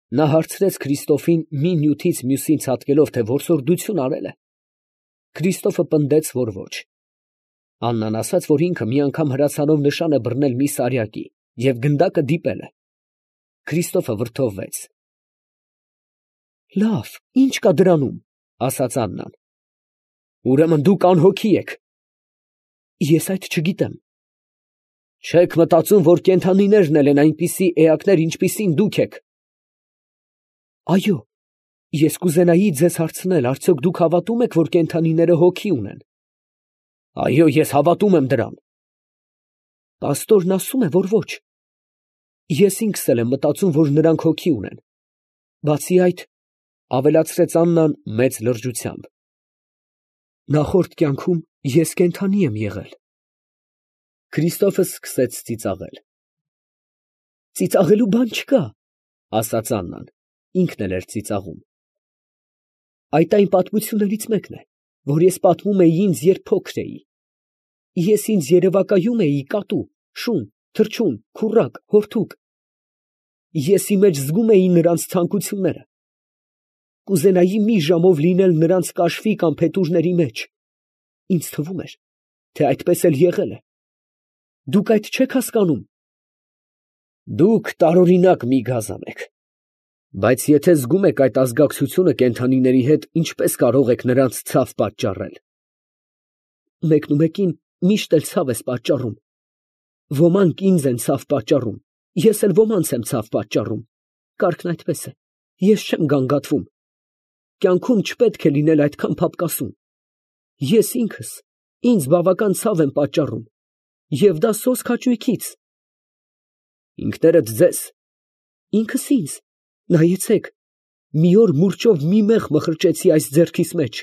Նա հարցրեց Քրիստոֆին մի նյութից մյուսին ցատկելով, թե որսորդություն արել է։ Քրիստոֆը պնդեց, որ ոչ։ Աննան ասաց, որ ինքը մի անգամ հրացանով նշան է բռնել մի սարյակի և գնդակը դիպել է։ Քրիստոֆը վրդովվեց։ Լավ, ի՞նչ կա դրանում, ասաց Աննան։ Ուրեմն դուք անհոգի եք։ Ես այդ չգիտեմ։ Չեք մտածում, որ կենդանիներն էլ են այնպիսի էակներ, ինչպիսին դուք եք։ Այո, ես կուզենայի ձեզ հարցնել, արդյոք դուք հավատում եք, որ կենդանիները հոգի ունեն։ Այո, ես հավատում եմ դրան։ Պաստորն ասում է, որ ոչ։ Ես ինքս էլ եմ մտածում, որ նրանք հոգի ունեն։ Բացի այդ, ավելացրեց Աննան մեծ լրջությամբ, նախորդ կյանքում ես կենդանի եմ եղել։ Քրիստոֆը սկսեց ծիծաղել։ Ծիծաղելու բան չկա, ասաց Աննան, ինքն էլ էր ծիծաղում։ Այդ այն պատմություններից մեկն է, որ ես պատմում էի ինձ, երբ փոքր էի։ Ես ինձ երևակայում էի կատու, շուն, թռչուն, քուռակ, հորթուկ։ Ես ի մեջ զգում էի նրանց ցանկությունները։ Կուզենայի մի ժամով լինել նրանց կաշվի կամ փետուրների մեջ։ Ինձ թվում էր, թե այդպես էլ եղել է։ Դուք այդ չեք հասկանում։ Դուք տարօրինակ մի գազան եք։ Բայց եթե զգում եք այդ ազգակցությունը կենդանիների հետ, ինչպես կարող եք նրանց ցավ պատճառել։ Մեկնումեկին միշտ էլ ցավ ես պատճառում։ Ոմանք ինձ են ցավ պատճառում, ես էլ ոմանց եմ ցավ պատճառում։ Կարգն այդպես է, ես չեմ գանգատվում։ Կյանքում չպետք է լինել այդքան փափկասուն։ Ես ինքս ինձ բավական ցավ եմ պատճառում, և դա սոսկ հաճույքից։ Ինքներդ ձեզ։ Ինքս ինձ, նայեցեք, մի օր մուրճով մի մեղ մխրճեցի այս ձեռքիս մեջ։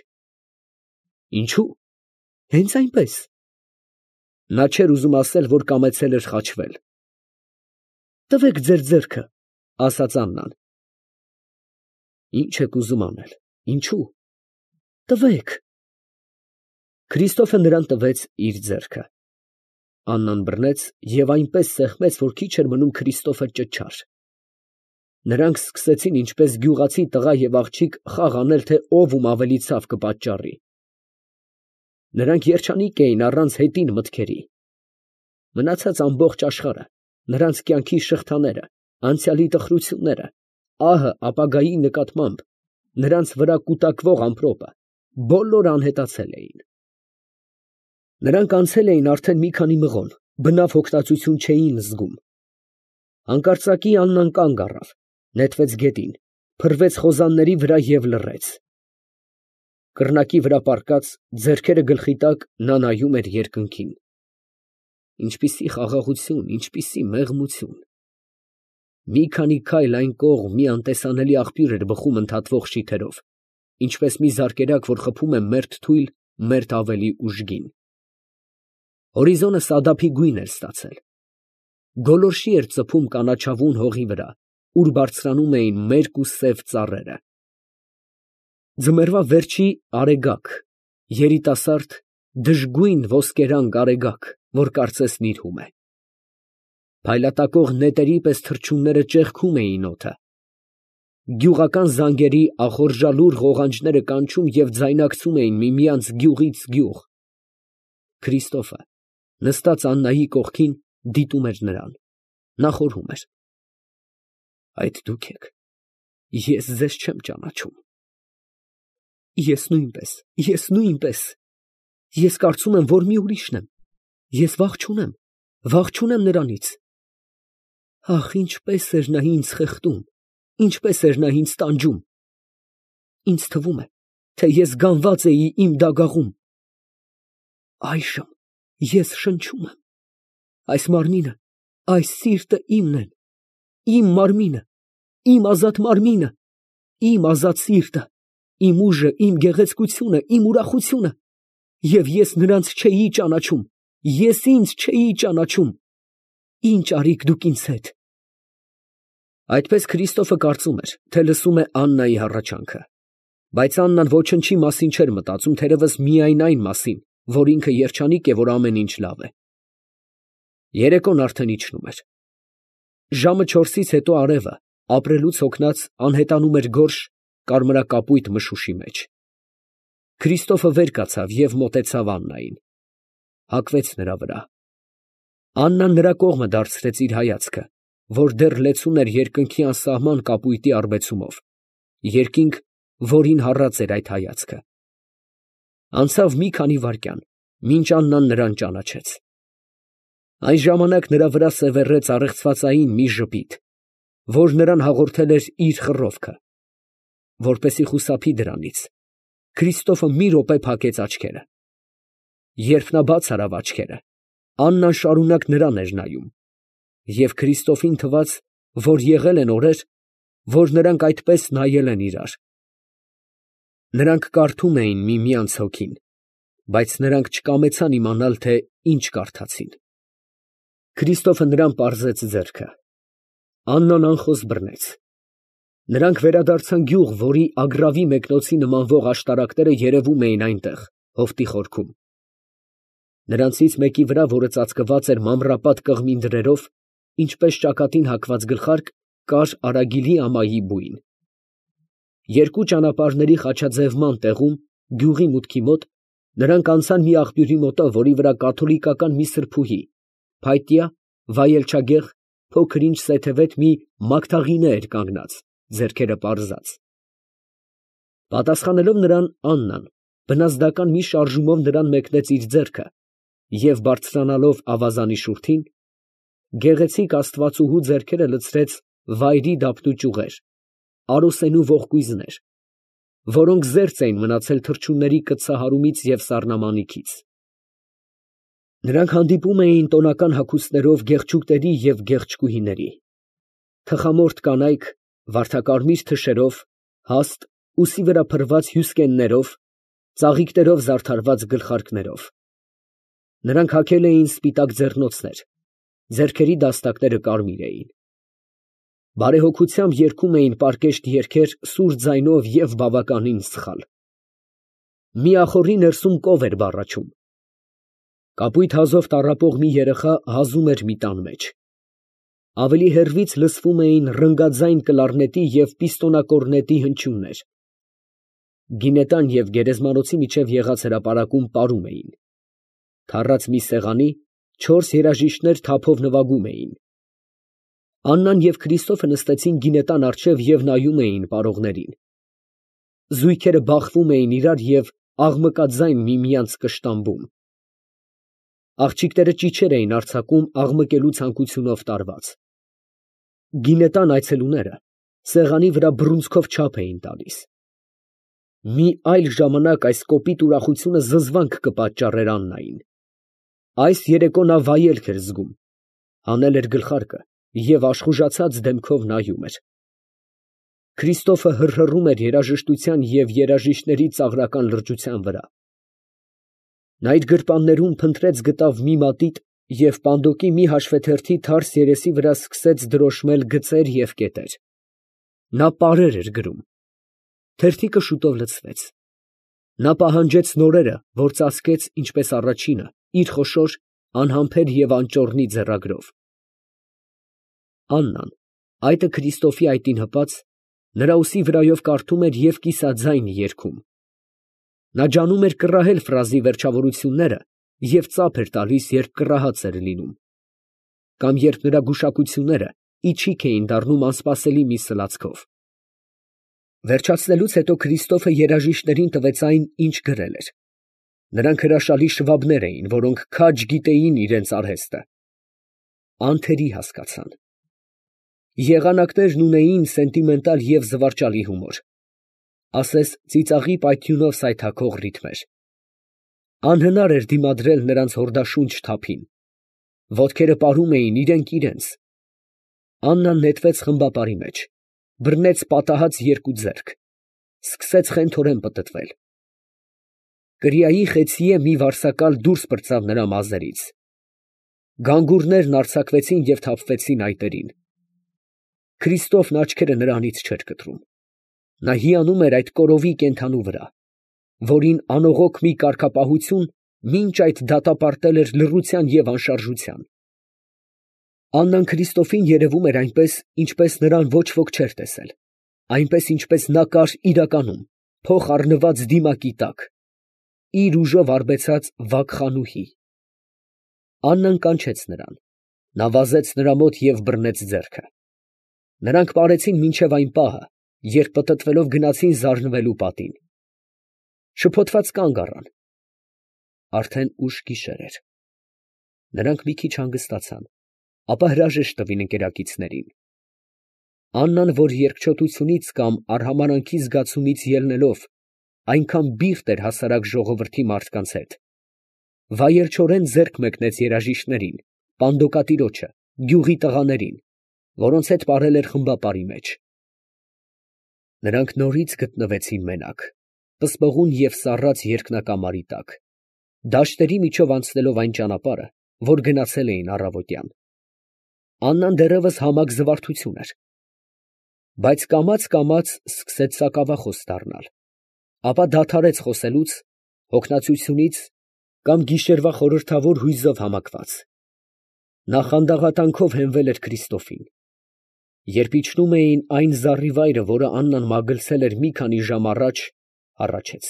Ինչու՞։ Հենց այնպես։ Նա չէր ուզում ասել, որ կամեցել էր խաչվել։ Տվեք ձեր ձեռքը, ասաց Աննան։ Ինչ եք ուզում անել, ինչու։ Տվեք։ Քրիստոֆը նրան տվեց իր ձեռքը։ Աննան բռնեց և այնպես սեղմեց, որ քիչ էր մնում Քրիստոֆը ճչար։ Նրանք սկսեցին ինչպես գյուղացի տղա և աղջիկ խաղ անել, թե ով ում ավելի ցավ կպատճառի։ Նրանք երջանիկ էին առանց հետին մտքերի։ Մնացած ամբողջ աշխարհը, նրանց կյանքի շղթաները, անցյալի տխրությունները, ահը ապագայի նկատմամբ, նրանց վրա կուտակվող ամպրոպը, բոլորը անհետացել էին։ Նրանք անցել էին արդեն մի քանի մղոն, բնավ հոգնածություն չէին զգում։ Հանկարծակի Աննան կանգ առավ, նետվեց գետին, փռվեց խոզանների վրա և լռեց։ Կռնակի վրա պառկած, ձեռքերը գլխի տակ, նա նայում էր երկնքին։ Ինչպիսի խաղաղություն, ինչպիսի մեղմություն։ Մի քանի քայլ այն կողմ մի անտեսանելի աղբյուր էր բխում ընդհատվող շիթերով, ինչպես մի զարկերակ, որ խփում է մերթ թույլ, մերթ ավելի ուժգին։ Հորիզոնը սադափի գույն էր ստացել։ Գոլորշի էր ծփում կանաչավուն հողի վրա, ուր բարձրանում էին մերկ ու սև ծառերը։ Ձմեռվա վերջի արեգակ, երիտասարդ, դժգույն ոսկերանգ արեգակ, որ կարծես նիրհում է։ Փայլատակող նետերի պես թռչունները ճեղքում էին օդը։ Գյուղական զանգերի ախորժալուր ղողանջները կանչում և ձայնակցում էին միմյանց գյուղից գյուղ։ Քրիստոֆը, նստած Աննայի կողքին, դիտում էր նրան։ Նա խորհում էր. Այդ դուք եք, ես ձեզ չեմ ճանաչում։ Ես նույնպես։ Ես կարծում եմ, որ մի ուրիշն եմ։ Ես վախ չունեմ նրանից։ Ախ, ինչպես էր նա ինձ խեղդում, ինչպես էր նա ինձ տանջում։ Ինձ թվում է, թե ես գանված էի իմ դագաղում։ Այժմ ես շնչում եմ։ Այս մարմինը, այս սիրտը իմն են, իմ մարմինը, իմ ազատ մարմինը, իմ ազատ սիրտը, իմ ուժը, իմ գեղեցկությունը, իմ ուրախությունը, և ես նրանց չէի ճանաչում, ես ինձ չէի ճանաչում։ Ինչ արիք դուք ինձ հետ։ Այդպես Քրիստոֆը կարծում էր, թե լսում է Աննայի հառաչանքը, բայց Աննան ոչնչի մասին չէր մտածում, թերևս միայն այն մասին, որ ինքը երջանիկ է, որ ամեն ինչ լավ է։ Երեկոն արդեն իջնում էր։ Ժամը 4-ից հետո արևը, ապրելուց հոգնած անհետանում էր գորշ կարմրակապույտ մշուշի մեջ։ Քրիստոֆը վեր կացավ և մոտեցավ Աննային, հագվեց նրա վրա։ Աննան նրա կողմը դարձրեց իր հայացքը, որ դեռ լեցուն էր երկնքի անսահման կապույտի առբեցումով, երկինք, որին հառած էր այդ հայացքը։ Անցավ մի քանի վայրկյան, մինչ Աննան նրան ճանաչեց։ Այն ժամանակ նրա վրա սևեռեց առեղծվածային մի ժպիտ, որ նրան հաղորդել էր իր խռովքը։ Որպեսզի խուսափի դրանից, Քրիստոֆը մի րոպե փակեց աչքերը։ Երբ նա բաց արավ աչքերը, Աննան շարունակ նրան էր նայում, և Քրիստոֆին թվաց, որ եղել են օրեր, որ նրանք այդպես նայել են իրար։ Նրանք կարդում էին միմյանց հոգին, բայց նրանք չկամեցան իմանալ, թե ինչ կարդացին։ Քրիստոֆը նրան պարզեց ձեռքը։ Աննան անխոս բռնեց։ Նրանք վերադարձան գյուղ, որի ագռավի մեկնոցի նմանվող աշտարակները երևում էին այնտեղ, հովտի խորքում։ Նրանցից մեկի վրա, որը ծածկված էր մանրապատ կղմին դրերով, ինչպես ճակատին հագված գլխարկ, կար արագիլի ամայի բույն։ Երկու ճանապարհների խաչաձևման տեղում, գյուղի մուտքի մոտ, նրանք անցան մի աղբյուրի մոտով, որի վրա կաթոլիկական մի սրբուհի, փայտյա, վայելչագեղ, փոքր ինչ սեթևետ մի մագդաղինե էր կանգնած, ձեռքերը պարզած։ Պատասխանելով նրան, Աննան բնազդական մի շարժումով նրան մեկնեց իր ձեռքը և, բարձրանալով ավազանի շուրթին, գեղեցիկ աստվածուհու ձեռքերը լցրեց վայրի դափնու ճյուղեր, արոսենու ողկույզներ, որոնք զերծ էին մնացել թռչունների կծահարումից և սառնամանիքից։ Նրանք հանդիպում էին տոնական հագուստներով գեղչուկների և գեղչկուհիների, թխամորթ կանայք, վարդակարմիր թշերով, հաստ, ուսի վրա փռված հյուսկեններով, ծաղիկներով զարդարված գլխարկներով։ Նրանք հագել էին սպիտակ ձեռնոցներ, ձեռքերի դաստակները կարմիր էին։ Բարեհոգությամբ երգում էին պարկեշտ երգեր սուր ձայնով և բավականին սխալ։ Մի ախոռի ներսում կով էր բառաչում։ Կապույտ հազով տառապող մի երեխա հազում էր մի տան մեջ։ Ավելի հեռվից լսվում էին ռնգաձայն կլարնետի և պիստոնակորնետի հնչյուններ։ Գինետան և գերեզմանոցի միջև եղած հրապարակում պարում էին։ Թառած մի սեղանի 4 երաժիշտներ թափով նվագում էին։ Աննան և Քրիստոֆը նստեցին գինետան առջև և նայում էին պարողներին։ Զույգերը բախվում էին իրար և աղմկաձայն միմյանց կշտամբում։ Աղջիկները ճիչեր էին արձակում աղմկելու ցանկությունով տարված։ Գինետան այցելուները սեղանի վրա բռունցքով չափ էին տալիս։ Մի այլ ժամանակ այս կոպիտ ուրախությունը զզվանք կպատճառեր Աննային։ Այս երեկո նա վայելք էր զգում, հանել էր գլխարկը և աշխուժացած դեմքով նայում էր։ Քրիստոֆը հռհռում էր երաժշտության և երաժիշտների ծաղրական լրջության վրա։ Նա իր գրպաններում փնտրեց գտավ մի մատիտ և պանդոկի մի հաշվեթերթի թարս երեսի վրա սկսեց դրոշմել գծեր և կետեր։ Նա պարեր էր գրում։ Թերթիկը շուտով լցվեց։ Նա պահանջեց նորերը, որ ծածկեց, ինչպես առաջինը, իր խոշոր, անհամբեր և անճոռնի ձեռագրով։ Աննան, այտը Քրիստոֆի այտին հպած, նրա ուսի վրայով կարդում էր և կիսաձայն երգում։ Նա ջանում էր կռահել ֆրազի վերջավորությունները և ծափ էր տալիս, երբ կռահած էր լինում, կամ երբ նրա գուշակությունները իչիք էին դառնում անսպասելի մի սլացքով։ Վերջացնելուց հետո Քրիստոֆը երաժիշտներին տվեց այն, ինչ գրել էր։ Նրանք հրաշալի շվաբներ էին, որոնք քաջ գիտեին իրենց արհեստը։ Անթերի հասկացան։ Եղանակներն ունեին սենտիմենտալ և զվարճալի հումոր, ասես ծիծաղի պայթյունով սայթաքող ռիթմեր։ Անհնար էր դիմադրել նրանց հորդաշունչ թափին։ Ոտքերը պարում էին իրենք իրենց։ Աննան նետվեց խմբապարի մեջ, բռնեց պատահած երկու ձեռք, սկսեց խենթորեն պտտվել։ Կրիայի խեցիե մի վարսակալ դուրս պրծավ նրա մազերից։ Գանգուրներն արձակվեցին և թափվեցին այտերին։ Քրիստոֆն աչքերը նրանից չէր կտրում։ Նա հիանում էր այդ կորովի կենդանու վրա, որին անողոք մի կարգապահություն մինչ այդ դատապարտել էր լռության և անշարժության։ Աննան Քրիստոֆին երևում էր այնպես, ինչպես նրան ոչ ոք չէր տեսել, այնպես, ինչպես նա կար իրականում, փոխ առնված դիմակի տակ, իր ուժով արբեցած վագխանուհի։ Աննան կանչեց նրան, նա վազեց նրա մոտ և բռնեց ձեռքը։ Նրանք պարեցին մինչև այն պահը, երբ պտտվելով գնացին զարնվելու պատին։ Շփոթված կանգ առան։ Արդեն ուշ գիշեր էր։ Նրանք մի քիչ հանգստացան, ապա հրաժեշտ տվին ընկերակիցներին։ Աննան, որ երկչոտությունից կամ արհամարանքի զգացումից ելնելով այնքան բիրտ էր հասարակ ժողովրդի մարդկանց հետ, վայելչորեն ձեռք մեկնեց երաժիշտներին, պանդոկատիրոջը, գյուղի տղաներին, որոնց հետ պարել էր խմբապարի մեջ։ Նրանք նորից գտնվեցին մենակ, պսպղուն և սառած երկնակամարի տակ, դաշտերի միջով անցնելով այն ճանապարհը, որ գնացել էին առավոտյան։ Աննան դեռևս համակ զվարթություն էր, բայց կամաց սկսեց սակավախոս դառնալ, ապա դադարեց խոսելուց, հոգնածությունից կամ գիշերվա խորհրդավոր հույզով համակված։ Նա խանդաղատանքով հենվել էր Քրիստոֆին։ Երբ իջնում էին այն զառիվայրը, որը Աննան մագլցել էր մի քանի ժամ առաջ, հառաչեց։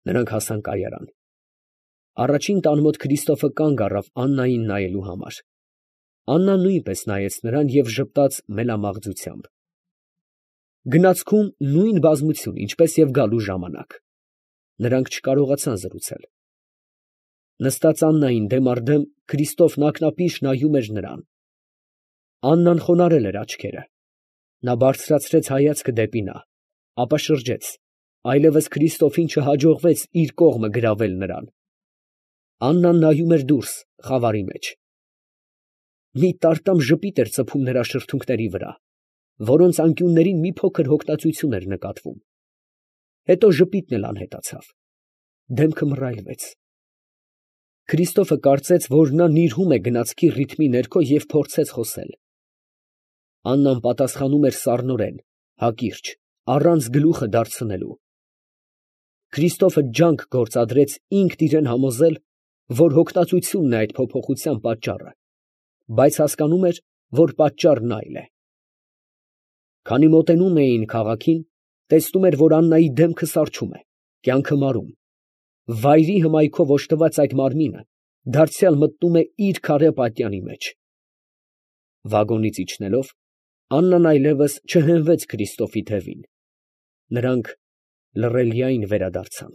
Նրանք հասան կայարան։ Առաջին տան մոտ Քրիստոֆը կանգ առավ Աննային նայելու համար։ Աննան նույնպես նայեց նրան և ժպտաց մելամաղձությամբ։ Գնացքում նույն բազմություն, ինչպես և գալու ժամանակ։ Նրանք չկարողացան զրուցել։ Նստած Աննային դեմ առ դեմ, Քրիստոֆն ակնապիշ նայում էր նրան։ Աննան խոնարհել էր աչքերը։ Նա բարձրացրեց հայացքը դեպի նա, ապա շրջեց, այլևս Քրիստոֆին չհաջողվեց իր կողմը գրավել նրան։ Աննան նայում էր դուրս, խավարի մեջ։ Մի տարտամ ժպիտ էր ծփում նրա շրթունքների վրա, որոնց անկյուններին մի փոքր հոգնածություն էր նկատվում։ Հետո ժպիտն էլ անհետացավ։ Դեմքը մռայլվեց։ Քրիստոֆը կարծեց, որ նա նիրհում է գնացքի ռիթմի ներքո և փորձեց խոսել։ Աննան պատասխանում էր սառնորեն, հակիրճ, առանց գլուխը դարձնելու։ Քրիստոֆը ջանք գործադրեց ինքն իրան համոզել, որ հոգնածությունն է այդ փոփոխության պատճառը, բայց հասկանում էր, որ պատճառն այլ է։ Քանի մոտենում էին քաղաքին, տեսնում էր, որ Աննայի դեմքը սառչում է, կյանքը մարում։ Վայրի հմայքով օժտված այդ մարմինը դարձյալ մտնում է իր քարե պատյանի մեջ։ Վագոնից իջնելով, Աննան այլևս չհենվեց Քրիստոֆի թևին։ Նրանք լռելիայն վերադարձան։